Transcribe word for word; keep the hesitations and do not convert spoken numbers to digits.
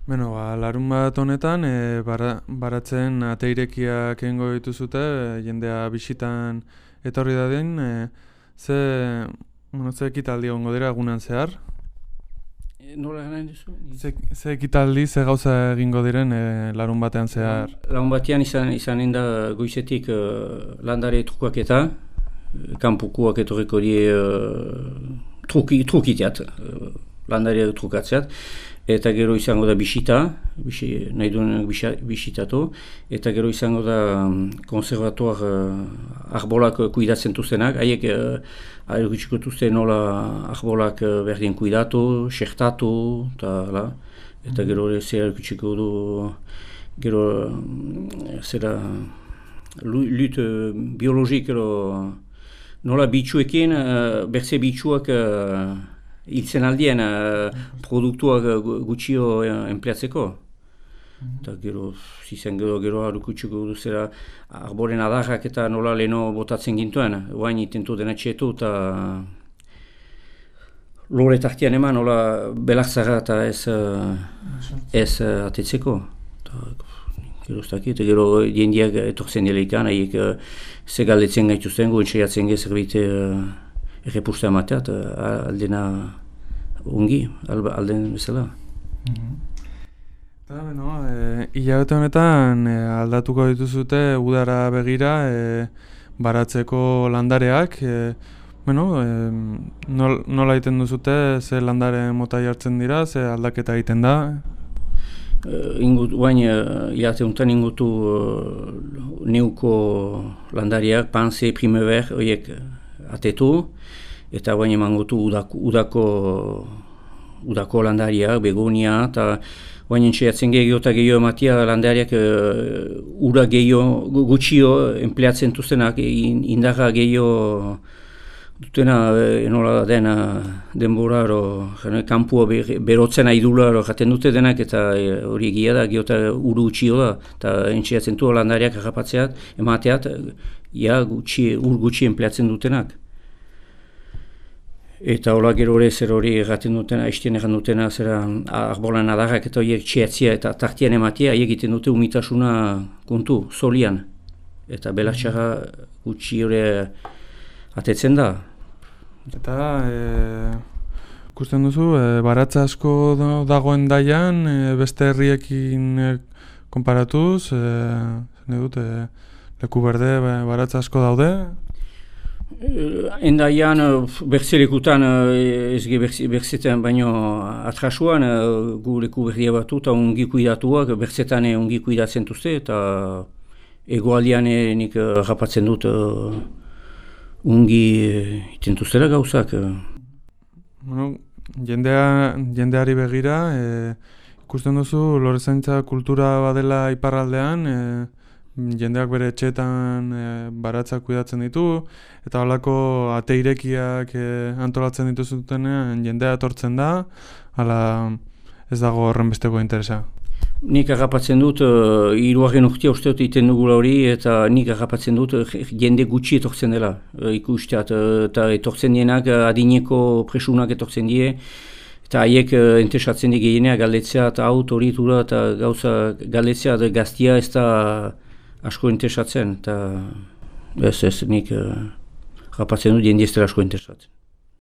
Beno, ba, larun bat honetan, e, bara, baratzen ate irekiak egingo dituzute, e, jendea bisitan etorri dadin, e, ze, bueno, ze ekitaldi egongo dira egunan zehar? E, nola gana duzu? Ze, ze ekitaldi, ze gauza egingo diren e, larun batean zehar? Larun batean izan, izanen da goizetik uh, landare trukaketa, kanpukoak etorriko die uh, truki, trukiteat, uh, landare trukatzeat, eta gero izango da bisita, bisi, nahi duen bisitatu, eta gero izango da um, konservatuar uh, arbolak kuidatzen tuztenak, haiek uh, ergutsiko tuzte nola arbolak uh, berdien kuidatu, sektatu, eta, eta gero zer ergutsiko du, gero um, zera lut uh, biologik, nola bitxuekin, uh, berze bitxuak uh, hiltzen aldien uh, produktuak uh, gutxio uh, enpleatzeko. Eta mm-hmm. gero, zizen gero, gero harukutsuko duzera arboren adarrak eta nola leheno botatzen gintuen. Oain itentu dena txetu eta lore tartian eman nola belakzara eta ez, uh, ez uh, atetzeko. Ta, gero ez dakit, gero jendiak etortzen delekan, haiek uh, ze galdetzen gaituzten, goen saiatzen ge zerbait uh, errepusta emateat, aldena ongi, alden bezala. Mm-hmm. Eta, beno, e, hilabete honetan e, aldatuko dituzute udara begira e, baratzeko landareak. E, bueno, e, nol, nola egiten duzute, ze landare mota jartzen dira, ze aldaketa egiten da? Uh, ingut, bain, uh, hilabete honetan ingutu uh, neuko landariak, panse, primever, horiek atetu, eta baina emangotu udako, udako, udako landariak, begonia, eta baina entxeatzen gehiago eta gehiago ematia landariak uh, ura gehiago, gutxio enpleatzen tuztenak, indarra gehiago dutena, enola dena denbora, kampua berotzen aidula jaten dute denak, eta hori egia da, gehiago eta uru gutxio da, eta entxeatzen du landariak harrapatzeat, emateat, ja, gutxi, ur gutxi enpleatzen dutenak. Eta hola gero hori zer hori erraten dutena, haistien erran dutena, zera arbolan adarrak eta horiek txeatzia eta tartian ematia, haiek egiten dute umitasuna kontu, solian. Eta belatxarra gutxi hori atetzen da. Eta, e, ikusten duzu, e, baratza asko dagoen daian, e, beste herriekin e, konparatuz, e, zene dut, e, leku berde baratza asko daude? Endaian, berzelekutan, ez ge berzetan, baino atrasuan, gu leku berdia batu eta ongi kuidatuak, berzetan ongi kuidatzen duzte, eta egoaldian nik rapatzen dut ongi iten duztela gauzak. Bueno, jendea, jendeari begira, e, ikusten duzu, lorezaintza kultura badela iparraldean, e, jendeak bere etxeetan e, baratzak kuidatzen ditu, eta holako ate irekiak e, antolatzen dituzutenean jendea etortzen da, hala ez dago horren besteko interesa. Nik agapatzen dut, uh, hirugarren urtea uste dut egiten dugula hori, eta nik agapatzen dut uh, jende gutxi etortzen dela. Uh, ikusteat, uh, eta etortzen dienak uh, adineko presunak etortzen die, eta haiek uh, entesatzen di gehieneak galdetzea eta aut hori tura eta gauza galdetzea gaztia ez da asko entesatzen, eta ez ez nik uh, agapatzen dut jende ez dela asko entesatzen.